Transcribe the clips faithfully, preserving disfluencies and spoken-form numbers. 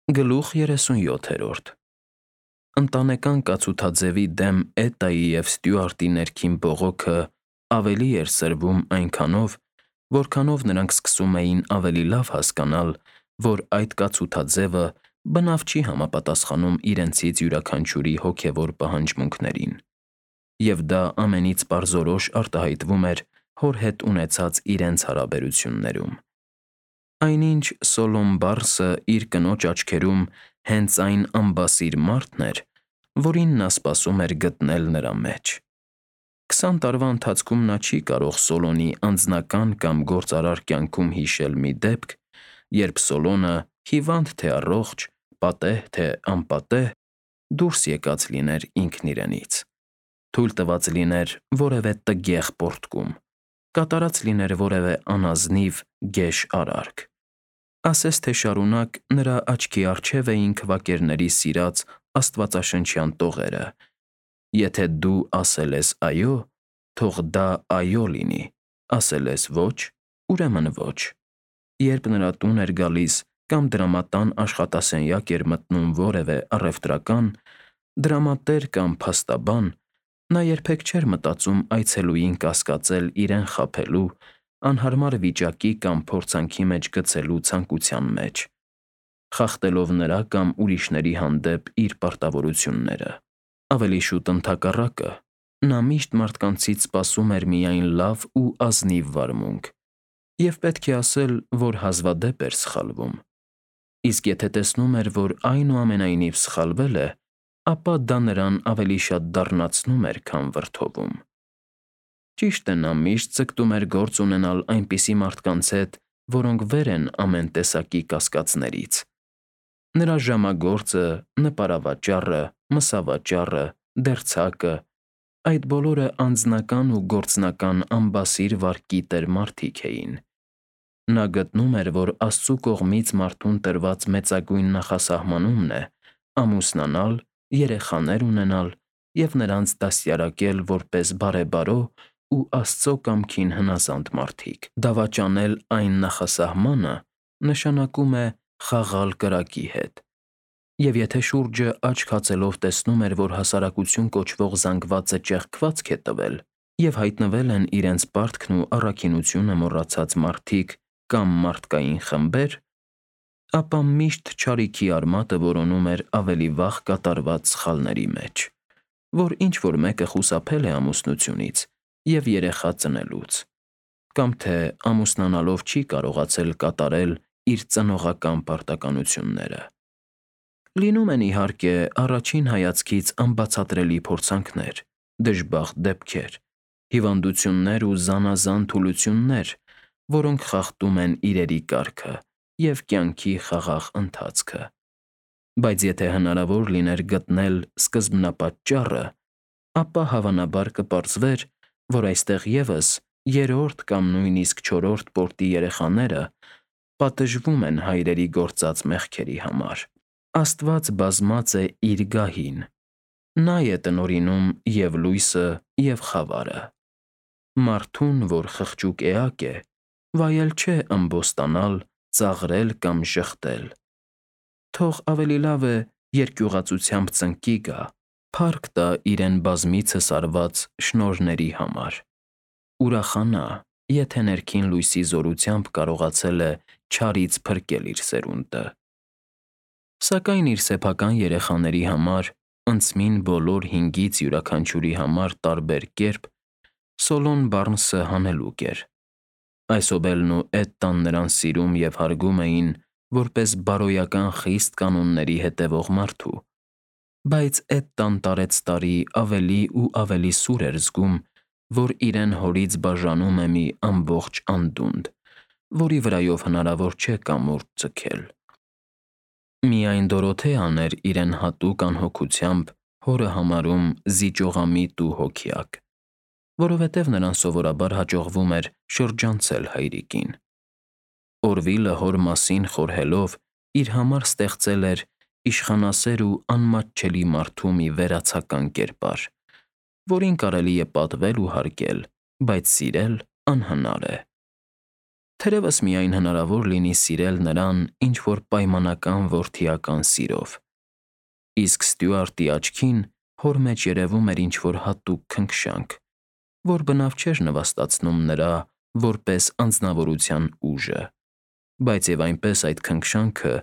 Գլուխ երեսունյոթերորդ Ընտանեկան կացութաձևի դեմ Էտայի և Ստյուարտի ներքին բողոքը ավելի էր սրվում այնքանով, որքանով նրանք սկսում էին ավելի լավ հասկանալ, որ այդ կացութաձևը բնավ չի համապատասխանում իրենցից յուրաքանչյուրի հոգևոր պահանջմունքներին, և դա ամենից պարզորոշ արտահայտվում էր հոր հետ ունեցած իրենց հարաբերություններում։ Այնինչ Սոլոմ Բարսը իր կնոջ աչքերում հենց այն անբասիր մարդն էր, որին նա սպասում էր գտնել նրա մեջ։ Քսան տարվա ընթացքում նա չի կարող Սոլոնի անձնական կամ գործարար կյանքում հիշել մի դեպք, երբ Սոլոնը, հիվանդ թե առողջ, պատեհ թե անպատեհ, դուրս եկած լիներ ինքն իրենից, թույլ տված լիներ որևէ տգեղ պոռթկում, կատարած լիներ որևէ անազնիվ, գեշ արարք։ Ասես թե շարունակ նրա աչքի առջև էին քվակերների սիրած աստվածաշնչյան տողերը. «Եթե դու ասել ես «այո», թող դա «այո» լինի, ասել ես «ոչ», ուրեմն «ոչ»»։ Երբ նրա տուն էր գալիս կամ դրամատան աշխատասենյակ էր մտնում որևէ առևտրական, դրամատեր կամ փաստաբան, նա երբեք չէր մտածում այցելուին կասկածել իրեն խաբելու, անհարմար վիճակի կամ փորձանքի մեջ գցելու ցանկության մեջ, խախտելով նրա կամ ուրիշների հանդեպ իր պարտավորությունները։ Ավելի շուտ ընդհակառակը, նա միշտ մարդկանցից սպասում էր միայն լավ ու ազնիվ վարմունք, և պետք է ասել, որ հազվադեպ էր սխալվում։ Իսկ եթե տեսնում էր, որ այնուամենայնիվ սխալվել է, ապա դա նրան ավելի շատ դառնացնում էր, քան վրդովում։ Ճիշտ է, նա միշտ ձգտում էր գործ ունենալ այնպիսի մարդկանց հետ, որոնք վեր են ամեն տեսակի կասկածներից։ Նրա ժամագործը, նպարավաճառը, մսավաճառը, դերձակը, այդ բոլորը անձնական ու գործնական անբասիր վարքի տեր մարդիկ էին։ Նա գտնում էր, որ Աստծու կողմից մարդուն տրված մեծագույն նախասահմանումն է ամուսնանալ, երեխաներ ունենալ և նրանց դաստիարակել որպես բարեբարո ու Աստծո կամքին հնազանդ մարդիկ։ Դավաճանել այն նախասահմանը նշանակում է խաղալ կրակի հետ, և եթե շուրջը աչք հացելով տեսնում էր, որ հասարակություն կոչվող զանգվածը ճեղքվածք է տվել, և հայտնվել են իրենց պարտքն ու առաքինությունը մոռացած մարդիկ կամ մարդկային խմբեր, ապա միշտ չարիքի արմատը որոնում էր ավելի վաղ կատարված սխալների մեջ, որ ինչ-որ մեկը խուսափել է ամուսնությունից և երեխա ծնելուց, կամ թե ամուսնանալով չի կարողացել կատարել իր ծնողական պարտականությունները։ Լինում են, իհարկե, առաջին հայացքից անբացատրելի փորձանքներ, դժբախտ դեպքեր, հիվանդություններ ու զանազան թուլություններ, որոնք խախտում են իրերի կարգը և կյանքի խաղաղ ընթացքը։ Բայց եթե հնարավոր լիներ գտնել սկզբնապատճառը, ապա հավանաբար կպարզվեր, որ այստեղ ևս երրորդ կամ նույնիսկ չորրորդ պորտի երեխաները պատժվում են հայրերի գործած մեղքերի համար։ Աստված բազմած է Իր գահին. Նա է տնօրինում և՛ լույսը, և՛ խավարը։ Մարդուն, որ խղճուկ էակ է, վայել չէ ըմբոստանալ, ծաղրել կամ ժխտել։ Թող ավելի լավ է երկյուղածությամբ ծնկի գա, փառք տա իրեն բազմիցս արված շնորհների համար։ Ուրախանա, եթե ներքին լույսի զորությամբ կարողացել է չարից փրկել իր սերունդը։ Սակայն իր սեփական երեխաների համար, ընծմին բոլոր հինգից յուրաքանչյուրի համար տարբեր կերպ, Սոլոմ Բարնսը հանելուկ էր։ Այսոբելն ու Էտտան նրան սիրում և հարգում էին որպես բարոյական խիստ կանոնների հետևող մարդու, բայց Էտտան տարեցտարի ավելի ու ավելի սուր էր զգում, որ իրեն հորից բաժանում է մի ամբողջ անդունդ, որի վրայով հնարավոր չէ կամուրջ ձգել։ Միայն Դորոթեան էր իրեն հատուկ անհոգությամբ հորը համարում զիջողամիտ ու հոգյակ, որովհետև նրան սովորաբար հաջողվում էր շրջանցել հայրիկին։ Օրվիլը հոր մասին խորհելով իր համար ստեղծել էր իշխանասեր ու անմատչելի մարդու մի վերացական կերպար, որին կարելի է պատվել ու հարգել, բայց սիրել անհնար է։ Թերևս միայն հնարավոր լինի սիրել նրան ինչ-որ պայմանական որդիական սիրով, իսկ Ստյուարտի աչքին հոր մեջ երևում էր ինչ-որ հատուկ քնքշանք, որ բնավ չէր նվաստացնում նրա որպես անձնավորության ուժը, բայց և այնպես այդ քնքշանքը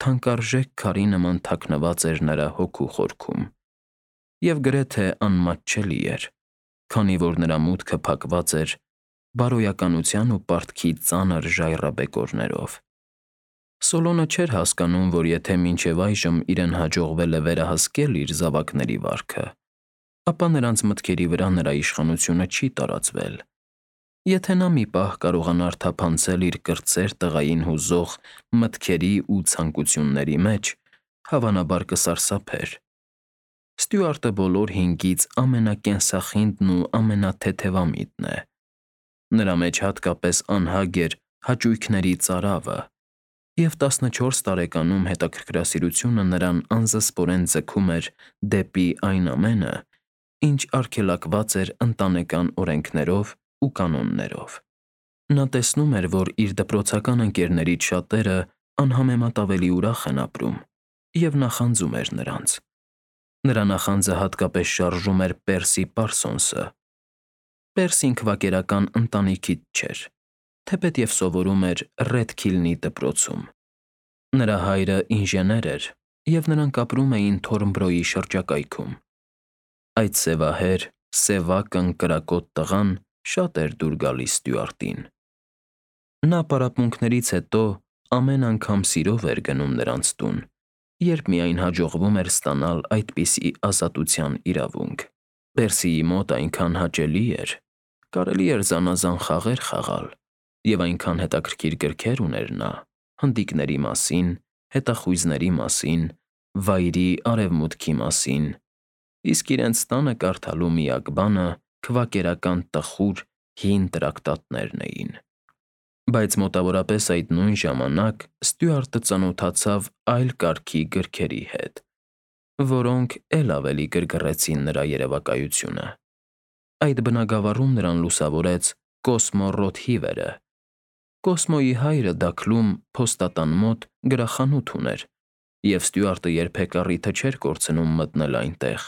թանկարժեք քարի նման թաքնված էր նրա հոգու խորքում և գրեթե անմատչելի էր, քանի որ նրա մուտքը փակված էր բարոյականության ու պարտքի ծանր ժայռաբեկորներով։ Սոլոնը չէր հասկանում, որ եթե մինչև այժմ իրեն հաջողվել է վերահսկել իր զավակների վարքը, ապա նրանց մտքերի վրա նրա իշխանությունը չի տարածվել։ Եթե նա մի պահ կարողանար թափանցել իր կրտսեր տղային հուզող մտքերի ու ցանկությունների մեջ, հավանաբար կսարսափեր։ Ստյուարտը բոլոր հինգից ամենակենսախինդն ու ամենաթեթևամիտն է։ Նրա մեջ հատկապես անհագ էր հաճույքների ծարավը, և տասնչորս տարեկանում հետաքրքրասիրությունը նրան անզսպորեն ձգում էր դեպի այն ամենը, ինչ արգելակված էր ընտանեկան օրենքներով ու կանոններով։ Նա տեսնում էր, որ իր դպրոցական ընկերներից շատերը անհամեմատ ավելի ուրախ են ապրում, և նախանձում էր նրանց։ Նրա նախանձը հատկապես շարժում էր Պերսի Պարսոնսը։ Պերսին քվակերական ընտանիքից չէր, թեպետև սովորում էր Ռեդքիլնի դպրոցում։ Նրա հայրը ինժեներ էր, և նրանք ապրում էին Թորնբրոյի շրջակայքում։ Այդ սևահեր, սևակն կրակոտ տղան շատ էր դուր գալիս Ստյուարտին։ Նա պարապմունքներից հետո ամեն անգամ սիրով էր գնում նրանց տուն, երբ միայն հաջողվում էր ստանալ այդպիսի ազատության իրավունք։ Պերսիի մոտ այնքան հաճելի էր, կարելի էր զանազան խաղեր խաղալ, և այնքան հետաքրքիր գրքեր ուներ նա հնդիկների մասին, հետախույզների մասին, Վայրի Արևմուտքի մասին, իսկ իրենց տանը կարդալու միակ բանը քվակերական տխուր, հին տրակտատներն էին։ Բայց մոտավորապես այդ նույն ժամանակ Ստյուարտը ծանոթացավ այլ կարգի գրքերի հետ, որոնք էլ ավելի գրգռեցին նրա երևակայությունը։ Այդ բնագավառում նրան լուսավորեց Կոսմո Ռոթհիվերը։ Կոսմոյի հայրը Դաքլում փոստատան մոտ գրախանութ ուներ, և Ստյուարտը երբեք առիթը չէր կորցնում մտնել այնտեղ,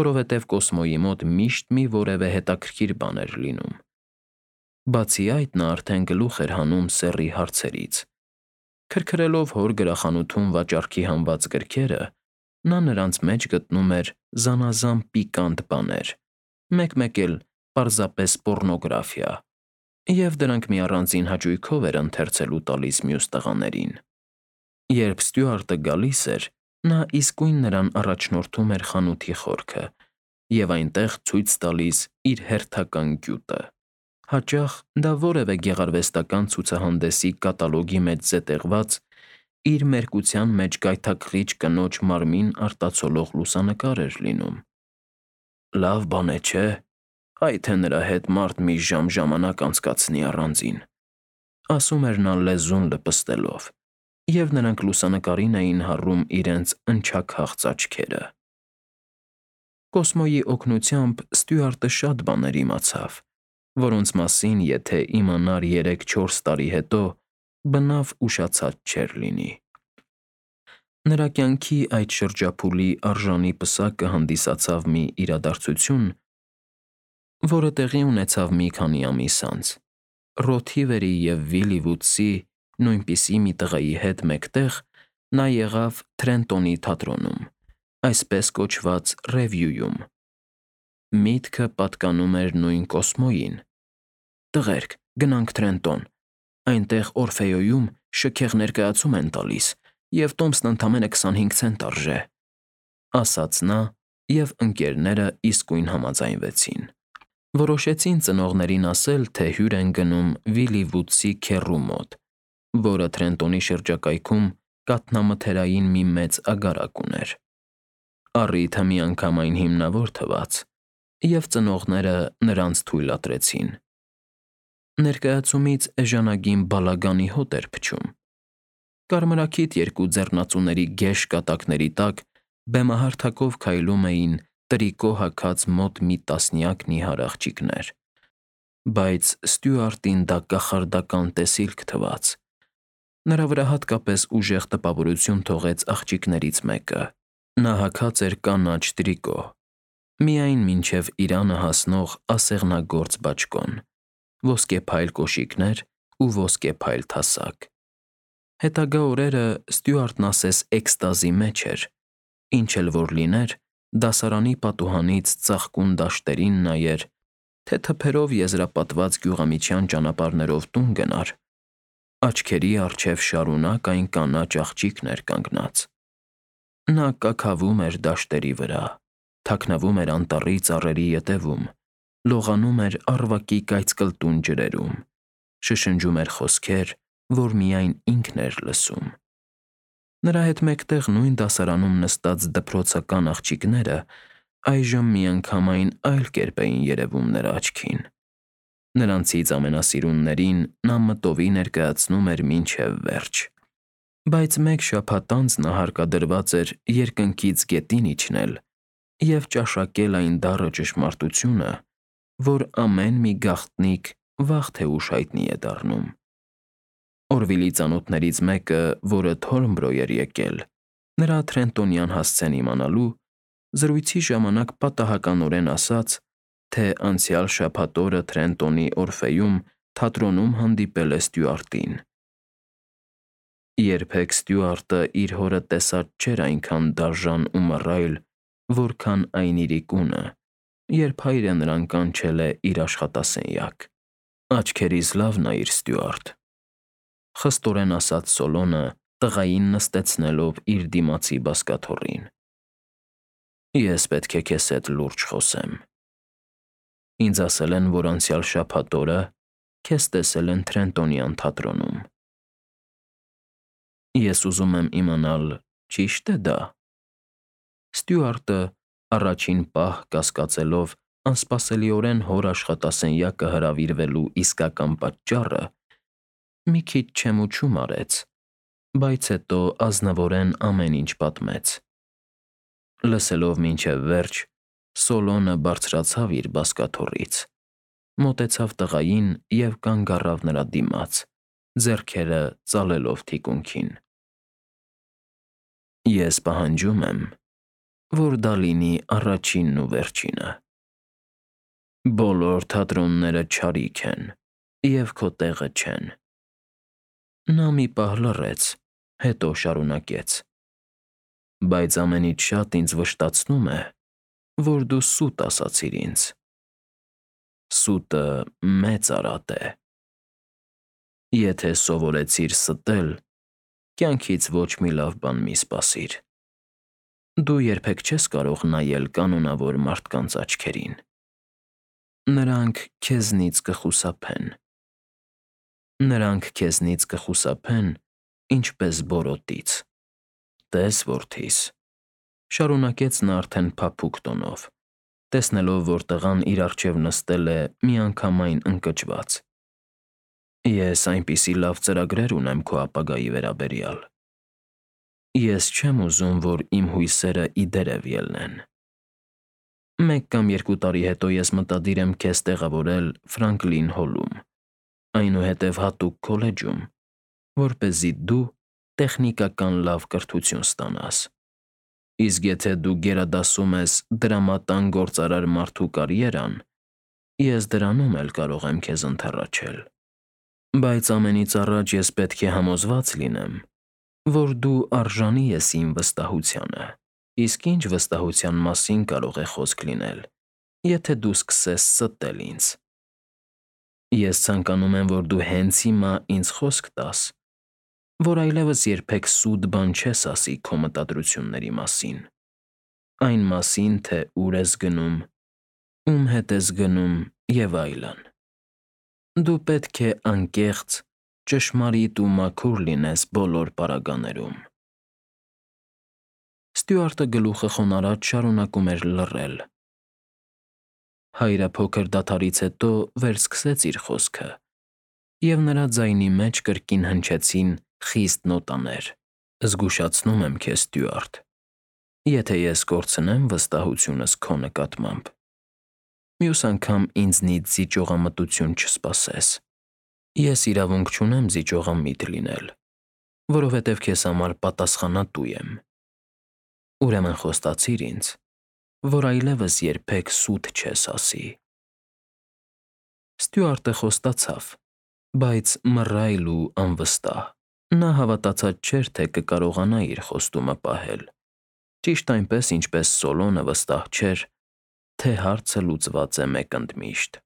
որովհետև Կոսմոյի մոտ միշտ մի որևէ հետաքրքիր բան էր լինում։ Բացի այդ, նա արդեն գլուխ էր հանում սեռի հարցերից։ Քրքրելով հոր գրախանութում վաճառքի հանված գրքերը, նա նրանց մեջ գտնում էր զանազան պիկանտ բաներ, մեկ֊մեկ էլ պարզապես պոռնոգրաֆիա, և դրանք մի առանձին հաճույքով էր ընթերցելու տալիս մյուս տղաներին։ Երբ Ստյուարտը գալիս էր, նա իսկույն նրան առաջնորդում էր խանութի խորքը և այնտեղ ցույց տալիս իր հերթական գյուտը։ Հաճախ դա որևէ գեղարվեստական ցուցահանդեսի կատալոգի մեջ զետեղված, իր մերկության մեջ գայթակղիչ կնոջ մարմին արտացոլող լուսանկար էր լինում։ «Լավ բան է, չէ՞, այ թե նրա հետ մարդ մի ժամ ժամանակ անցկացնի առանձին», ասում էր նա լեզուն լպստելով, և նրանք լուսանկարին էին հառում իրենց ընչաքաղց աչքերը։ Կոսմոյի օգնությամբ Ստյուարտը շատ բաներ իմացավ, որոնց մասին, եթե իմանար երեք֊չորս տարի հետո, բնավ ուշացած չէր լինի։ Նրա կյանքի այդ շրջափուլի արժանի պսակը հանդիսացավ մի իրադարձություն, որը տեղի ունեցավ մի քանի ամիս անց։ Ռոթհիվերի և Վիլի Վուդսի նույնպիսի մի տղայի հետ մեկտեղ նա եղավ Թրենտոնի թատրոնում, այսպես կոչված ռևյուում։ Միտքը պատկանում էր նույն Կոսմոյին։ «Տղերք, գնանք Թրենտոն, այնտեղ Օրֆեոյում շքեղ ներկայացում են տալիս, և տոմսն ընդամենը քսանհինգ ցենտ արժե», ասաց նա, և ընկերները իսկույն համաձայնվեցին։ Որոշեցին ծնողներին ասել, թե հյուր են գնում Վիլի Վուդսի քեռու մոտ, որը Թրենտոնի շրջակայքում կաթնամթերային մի մեծ ագարակ ուներ։ Առիթը միանգամայն հիմնավոր թվաց, և ծնողները նրանց թույլատրեցին։ Ներկայացումից էժանագին բալագանի հոտ էր փչում։ Կարմրաքիթ երկու ձեռնածուների գեշ կատակների տակ բեմահարթակով քայլում էին տրիկո հագած մոտ մի տասնյակ նիհար աղջիկներ։ բայց Ստյուարտին դա կախարդական տեսիլք թվաց։ Նրա վրա հատկապես ուժեղ տպավորություն թողեց աղջիկներից մեկը։ Նա հագած էր կանաչ տրիկո, միայն մինչև իրանը հասնող ասեղնագործ բաճկոն, ոսկեփայլ կոշիկներ ու ոսկեփայլ թասակ։ Հետագա օրերը Ստյուարտն ասես էքստազի մեջ էր, ինչ էլ որ լիներ, դասարանի պատուհանից ծաղկուն դաշտերին նայեր, թե թփերով եզրապատված գյուղամիջյան ճանապարհներով տուն գնար, աչքերի առջև շարունակ այն կանաչ աղջիկն էր կանգնած։ Նա կաքավում էր դաշտերի վրա, թաքնվում էր անտառի ծառերի ետևում, լողանում էր առվակի կայծկլտուն ջրերում, շշնջում էր խոսքեր, որ միայն ինքն էր լսում։ Նրա հետ մեկտեղ նույն դասարանում նստած դպրոցական աղջիկները այժմ միանգամայն այլ կերպ էին երևում նրա աչքին։ Նրանցից ամենասիրուններին նա մտովի ներկայացնում էր մինչև վերջ։ Բայց մեկ շաբաթ անց նա հարկադրված էր երկնքից գետին իջնել և ճաշակել այն դառը ճշմարտությունը, որ ամեն մի գաղտնիք վաղ թե ուշ հայտնի է դառնում։ Օրվիլի ծանոթներից մեկը, որը Թորնբրո էր եկել, նրա Թրենտոնյան հասցեն իմանալու, զրույցի ժամանակ պատահականորեն ասաց, թե անցյալ շաբաթ օրը Թրենտոնի Օրֆեում թատրոնում հանդիպել է Ստյուարտին։ Երբեք Ստյուարտը իր հորը տեսած չէր այնքան դաժան ու մռայլ, որքան այն իրիկունը, երբ հայրը նրան կանչել է իր աշխատասենյակ։ «Աչքերիս լավ նայիր, Ստյուարտ», խստորեն ասաց Սոլոնը, տղային նստեցնելով իր դիմացի բազկաթոռին։ Ես պետք է քեզ հետ լուրջ խոսեմ։ Ինձ ասել են, որ անցյալ շաբաթ օրը քեզ տեսել են Թրենտոնյան թատրոնում։ Ես ուզում եմ իմանալ, ճի՞շտ է դա։ Ստյուարտը, առաջին պահ կասկածելով անսպասելիորեն հոր աշխատասենյակը հրավիրվելու իսկական պատճառը, մի քիչ չեմուչում արեց, բայց հետո ազնվորեն ամեն ինչ պատմեց։ Լսելով մինչև վերջ, Սոլոնը բարձրացավ իր բազկաթոռից, մոտեցավ տղային և կանգ առավ նրա դիմաց, ձեռքերը ծալելով թիկունքին։ Ես պահանջում եմ, որ դա լինի առաջինն ու վերջինը։ Բոլոր թատրոնները չարիք են և քո տեղը չեն։ Նա մի պահ լռեց, հետո շարունակեց. Բայց ամենից շատ ինձ վշտացնում է, որ դու սուտ ասացիր ինձ։ Սուտը մեծ արատ է։ Եթե սովորեցիր ստել, կյանքից ոչ մի լավ բան մի սպասիր։ Դու երբեք չես կարող նայել կանոնավոր մարդկանց աչքերին։ Նրանք քեզնից կխուսափեն։ Նրանք քեզնից կխուսափեն, ինչպես բորոտից։ Տես, որդիս, շարունակեց նա արդեն փափուկ տոնով, տեսնելով, որ տղան իր առջև նստել է միանգամայն ընկճված։ Ես այնպիսի լավ ծրագրեր ունեմ քո ապագայի վերաբերյալ։ Ես չեմ ուզում, որ իմ հույսերը ի դերև ելնեն։ Մեկ կամ երկու տարի հետո ես մտադիր եմ քեզ տեղավորել Ֆրանկլին Հոլում, այնուհետև հատուկ քոլեջում, որպեսզի դու տեխնիկական լավ կրթություն ստանաս։ Իսկ եթե դու գերադասում ես դրամատան գործարար մարդու կարիերան, ես դրանում էլ կարող եմ քեզ ընդառաջել։ Բայց ամենից առաջ ես պետք է համոզված լինեմ, որ դու արժանի ես իմ վստահությանը։ Իսկ ինչ վստահության մասին կարող է խոսք լինել, եթե դու սկսես ստել ինձ։ Ես ցանկանում եմ, որ դու հենց հիմա ինձ խոսք տաս, որ այլևս երբեք սուտ բան չես ասի քո մտադրությունների մասին, այն մասին, թե ուր ես գնում, ում հետ ես գնում և այլն։ Դու պետք է անկեղծ, ճշմարիտ ու մաքուր լինես բոլոր պարագաներում։ Ստյուարտը գլուխը խոնարհած շարունակում էր լռել։ Հայրը փոքր դադարից հետո վերսկսեց իր խոսքը, և նրա ձայնի մեջ կրկին հնչեցին խիստ նոտաներ. Զգուշացնում եմ քեզ, Ստյուարտ, եթե ես կորցնեմ վստահությունս քո նկատմամբ, Մյուս անգամ ինձնից զիջողամտություն չսպասես։ Ես իրավունք չունեմ զիջողամիտ լինել, որովհետև քեզ համար պատասխանատու եմ։ Ուրեմն խոստացիր ինձ, որ այլևս երբեք սուտ չես ասի։ Ստյուարտը խոստացավ, բայց մռայլ ու անվստահ։ Նա հավատացած չէր, թե կկարողանա իր խոստումը պահել, ճիշտ այնպես, ինչպես Սոլոնը վստահ չէր, թե հարցը լուծված է մեկ ընդմիշտ։